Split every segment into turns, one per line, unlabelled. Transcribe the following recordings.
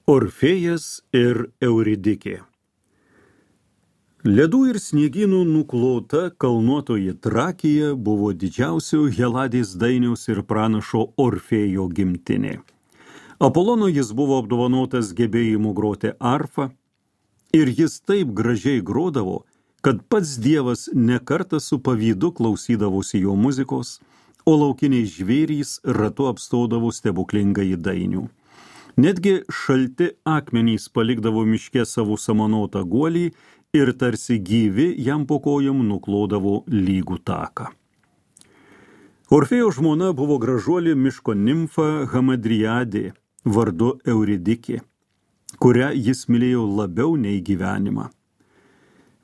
Orfėjas ir Euridikė. Ledų ir sniegynų nuklota kalnuotoji Trakija buvo didžiausių Heladės dainiaus ir pranašo Orfėjo gimtinė. Apolono jis buvo apdovanotas gebėjimu groti arfą ir jis taip gražiai grodavo, kad pats Dievas nekartą su pavydu klausydavosi jo muzikos, o laukiniai žvėrys ratu apstodavo stebuklingąjį dainių. Netgi šalti akmenys palikdavo miške savo samanotą guolį ir tarsi gyvi jam po kojom nuklodavo lygų taką. Orfėjo žmona buvo gražuolė miško nimfa Hamadrijadė, vardu Euridikė, kurią jis mylėjo labiau nei gyvenimą.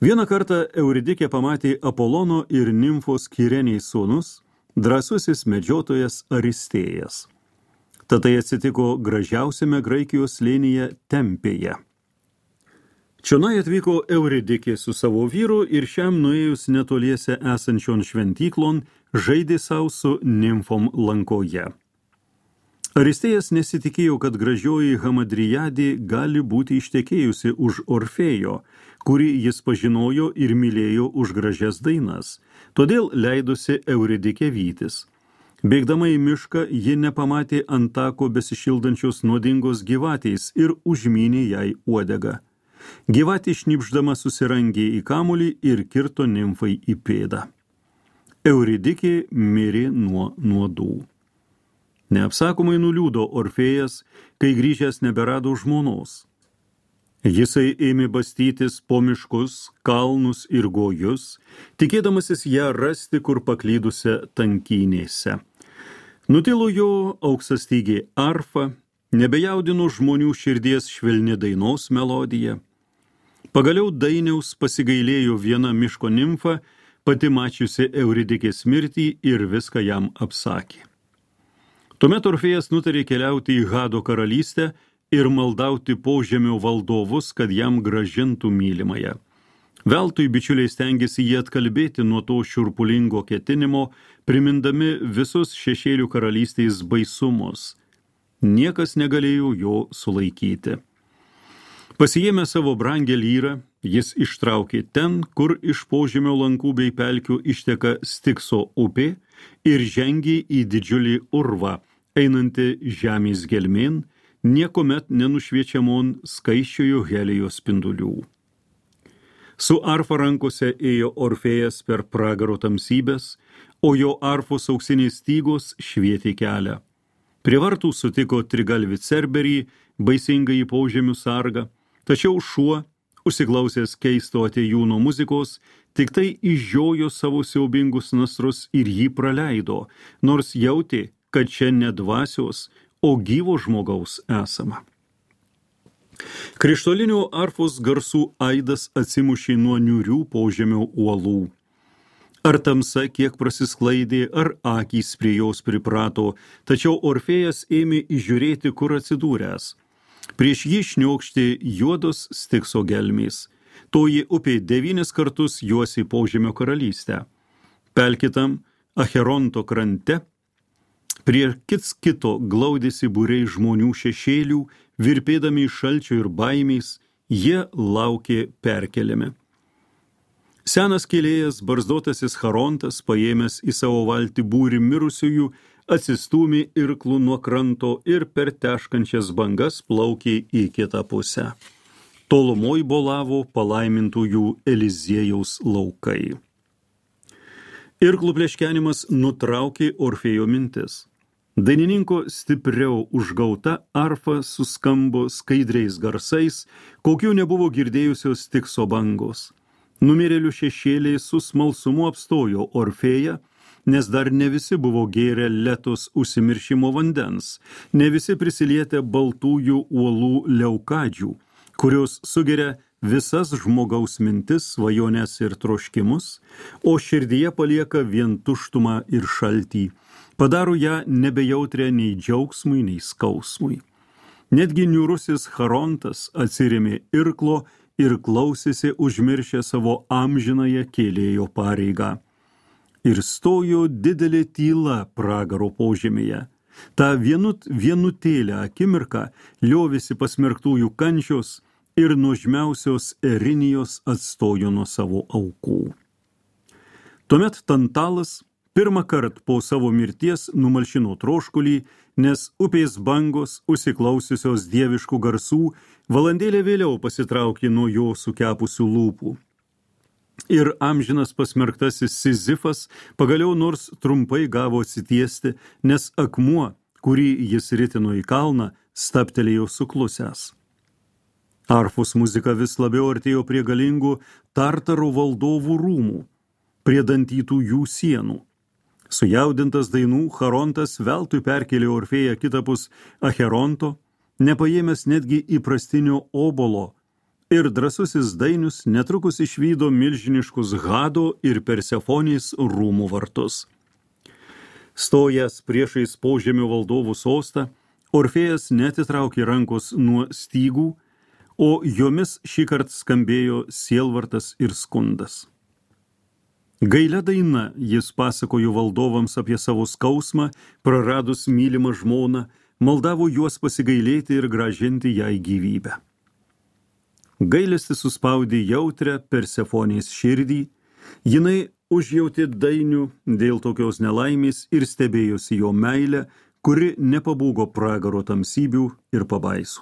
Vieną kartą Euridikė pamatė Apolono ir nimfos Kireniai sūnus, drąsusis medžiotojas Aristėjas. Tatai atsitiko gražiausiame Graikijos slėnyje Tempėje. Čionai atvyko Euridikė su savo vyru ir šiam nuėjus netoliese esančion šventyklon žaidė sau su nimfom lankoje. Aristėjas nesitikėjo, kad gražioji Hamadrijadė gali būti ištekėjusi už Orfėjo, kurį jis pažinojo ir mylėjo už gražias dainas, todėl leidosi Euridikė vytis. Bėgdama į mišką, ji nepamatė ant tako besišildančios nuodingos gyvatės ir užmynė jai uodegą. Gyvatė šnipždama susirangė į kamuolį ir kirto nimfai į pėdą. Euridikė mirė nuo nuodų. Neapsakomai nuliūdo Orfėjas, kai grįžęs neberado žmonos. Jisai ėmė bastytis po miškus, kalnus ir gojus, tikėdamasis ją rasti kur paklydusią tankynėse. Nutilo jo auksastygė arfa, nebejaudino žmonių širdies švelni dainos melodija. Pagaliau dainiaus pasigailėjo viena miško nimfa, pati mačiusi Euridikės mirtį ir viską jam apsakė. Tuomet Orfėjas nutarė keliauti į Hado karalystę ir maldauti požemio valdovus, kad jam gražintų mylimąją. Veltui bičiuliai stengiasi jį atkalbėti nuo to šiurpulingo ketinimo, primindami visus šešėlių karalystės baisumus. Niekas negalėjo jo sulaikyti. Pasiėmė savo brangę lyrą, jis ištraukė ten, kur iš požemio lankų bei pelkių išteka Stikso upė ir žengė į didžiulį urvą, einantį žemės gelmėn, niekuomet nenušviečiamon skaisčiojo Helijos spindulių. Su arfa rankose ėjo Orfėjas per pragaro tamsybės, o jo arfos auksinės stygos švietė kelią. Prie vartų sutiko trigalvį Cerberį, baisingąjį požemių sargą, tačiau šuo, užsiklausęs keisto atėjūno muzikos, tik tai išžiojo savo siaubingus nasrus ir jį praleido, nors jautė, kad čia ne dvasios, o gyvo žmogaus esama. Krištolinių arfos garsų aidas atsimušė nuo niūrių požemio uolų. Ar tamsa kiek prasisklaidė, ar akys prie jos priprato, tačiau Orfėjas ėmė įžiūrėti, kur atsidūręs. Prieš jį šniokštė juodos Stikso gelmės. Toji upė 9 kartus juosė požemio karalystę. Pelkitam Acheronto krante prie kits kito glaudėsi būriai žmonių šešėlių, virpėdami iš šalčio ir baimės, jie laukė perkeliami. Senas kėlėjas, barzdotasis Charontas, paėmęs į savo valtį būrį mirusiųjų, atsistūmė irklų nuo kranto ir per teškančias bangas plaukė į kitą pusę. Tolumoj bolavo palaimintųjų Eliziejaus laukai. Irklų pleškenimas nutraukė Orfėjo mintis. Dainininko stipriau užgauta arfa suskambo skaidriais garsais, kokių nebuvo girdėjusios Stikso bangos. Numirėlių šešėliai su smalsumu apstojo Orfėją, nes dar ne visi buvo gėrę Letos užsimiršimo vandens, ne visi prisilietę baltųjų uolų leukadžių, kurios sugeria visas žmogaus mintis, svajones ir troškimus, o širdyje palieka vien tuštumą ir šaltį, padaro ją nebejautrę nei džiaugsmui, nei skausmui. Netgi niūrusis Charontas atsirėmė irklo ir klausėsi užmiršę savo amžinąją kėlėjo pareigą. Ir stojo didelė tyla pragaro požemėje. Ta vienutėlę akimirką liovėsi pasmerktųjų kančios ir nuožmiausios Erinijos atstojo nuo savo aukų. Tuomet Tantalas pirmą kartą po savo mirties numalšino troškulį, nes upės bangos, užsiklausiusios dieviškų garsų, valandėlę vėliau pasitraukė nuo jo sukepusių lūpų. Ir amžinas pasmerktasis Sizifas pagaliau nors trumpai gavo atsitiesti, nes akmuo, kurį jis ritino į kalną, stabtelėjo suklusęs. Arfos muzika vis labiau artėjo prie galingų Tartaro valdovų rūmų, prie dantytų jų sienų. Sujaudintas dainų, Charontas veltui perkėlė Orfėją kitapus Acheronto, nepaėmęs netgi įprastinio obolo, ir drąsusis dainius netrukus išvydo milžiniškus Hado ir Persefonės rūmų vartus. Stojęs priešais požemio valdovų sostą, Orfėjas neatitraukė rankos nuo stygų, o jomis šįkart skambėjo sielvartas ir skundas. Gailia daina jis pasakojo valdovams apie savo skausmą, praradus mylimą žmoną, maldavo juos pasigailėti ir grąžinti jai gyvybę. Gailestis suspaudė jautrę Persefonės širdį, jinai užjautė dainių dėl tokios nelaimės ir stebėjosi jo meilę, kuri nepabūgo pragaro tamsybių ir pabaisų.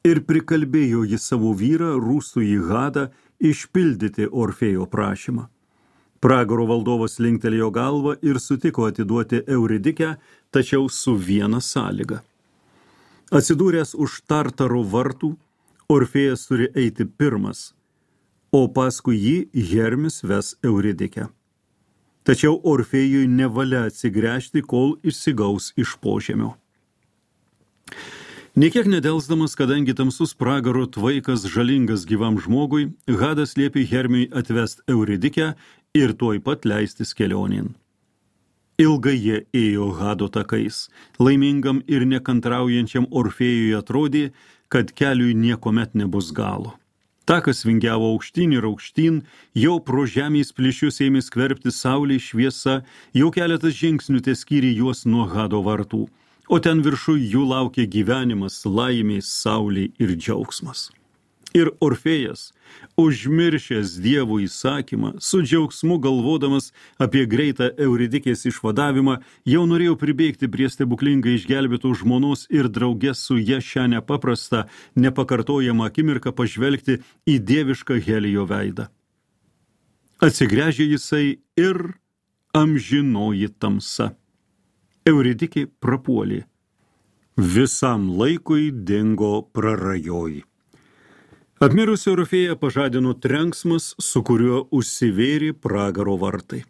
Ir prikalbėjo jį savo vyrą rūstųjį Hadą išpildyti Orfėjo prašymą. Pragaro valdovas linktelėjo galvą ir sutiko atiduoti Euridikę, tačiau su viena sąlyga. Atsidūręs už Tartaro vartų, Orfėjas turi eiti pirmas, o paskui jį Hermis ves Euridikę. Tačiau Orfėjui nevalia atsigręžti, kol išsigaus iš požemio. Niekiek nedelsdamas, kadangi tamsus pragaro tvaikas žalingas gyvam žmogui, Hadas liepė Hermiui atvest Euridikę ir tuoj pat leistis kelionėn. Ilgai jie ėjo Hado takais. Laimingam ir nekantraujančiam Orfėjui atrodė, kad keliui niekuomet nebus galo. Takas vingiavo aukštyn ir aukštyn, jau pro žemės plyšius ėmė skverbti saulė šviesa, jau keletas žingsnių teskyrė juos nuo Hado vartų, o ten viršui jų laukė gyvenimas, laimė, saulė ir džiaugsmas. Ir Orfėjas, užmiršęs Dievo įsakymą, su džiaugsmu galvodamas apie greitą Euridikės išvadavimą, jau norėjo pribėgti prie stebuklingai išgelbėtų žmonos ir drauge su ja šią nepaprastą, nepakartojamą akimirką pažvelgti į dievišką Helijo veidą. Atsigręžė jisai ir amžinoji tamsa. Euridikė prapuolė. Visam laikui dingo prarajoj. Apmirusi Orfėją pažadino trenksmas, su kuriuo užsivėrė pragaro vartai.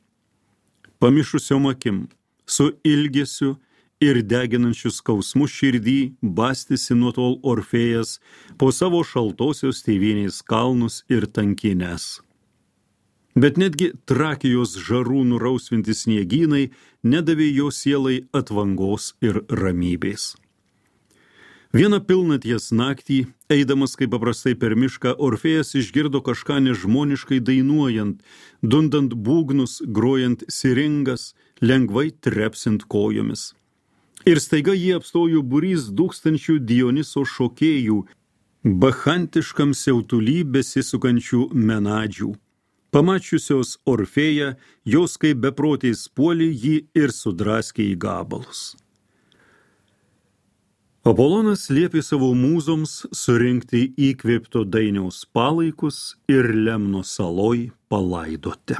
Pamišusiom akim, su ilgesiu ir deginančiu skausmu širdį bastėsi nuo tol Orfėjas po savo šaltosios tėvynės kalnus ir tankines. Bet netgi Trakijos žarų nurausvinti sniegynai nedavė jo sielai atvangos ir ramybės. Vieną pilnaties naktį, eidamas kaip paprastai per mišką, Orfėjas išgirdo kažką nežmoniškai dainuojant, dundant būgnus, grojant siringas, lengvai trepsint kojomis. Ir staiga jį apstojo būrys dūkstančių Dioniso šokėjų, bachantiškam siautuly besisukančių menadžių. Pamačiusios Orfėją, jos kaip beprotės puolė jį ir sudraskė į gabalus. Apolonas liepė savo mūzoms surinkti įkvėpto dainiaus palaikus ir Lemno saloj palaidoti.